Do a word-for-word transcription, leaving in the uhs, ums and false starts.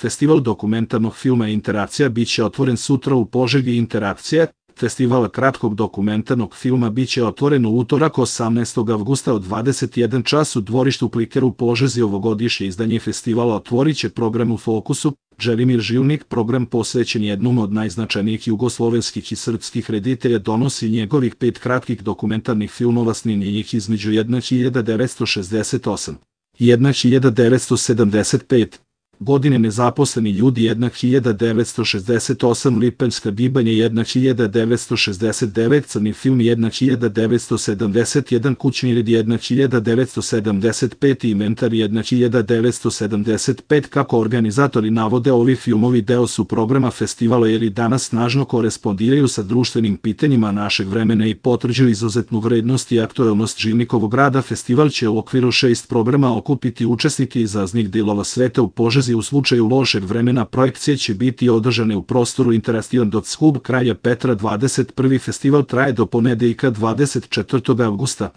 Festival dokumentarnog filma Interakcija biće otvoren sutra u Požegi. Interakcija, festival kratkog dokumentarnog filma biće otvoren u utorak osamnaestog avgusta od dvadeset jedan čas u dvorištu Pliker u Požezi. Ovogodišnje izdanje festivala otvorit će program U fokusu. Želimir Žilnik, program posvećen jednom od najznačajnijih jugoslovenskih i srpskih reditelja, donosi njegovih pet kratkih dokumentarnih filmova snimljenih između hiljadu devetsto šezdeset osme i hiljadu devetsto sedamdeset pete. Godine. Nezaposleni ljudi hiljadu devetsto šezdeset osam. Lipanjska gibanje hiljadu devetsto šezdeset devete. Crni film hiljadu devetsto sedamdeset jedan. Kućni red hiljadu devetsto sedamdeset pet. Inventar hiljadu devetsto sedamdeset pet. Kako organizatori navode, ovi filmovi deo su programa festivala jer i danas snažno korespondiraju sa društvenim pitanjima našeg vremena i potvrđuju izuzetnu vrednost i aktuelnost Žilnikovog rada. Festival će u okviru šest programa okupiti učesnike iz raznih delova sveta. U Požezi u slučaju lošeg vremena projekcije će biti održane u prostoru Interestivan Hub Kralja Petra. dvadeset prvi festival traje do ponedeljka dvadeset četvrtog avgusta.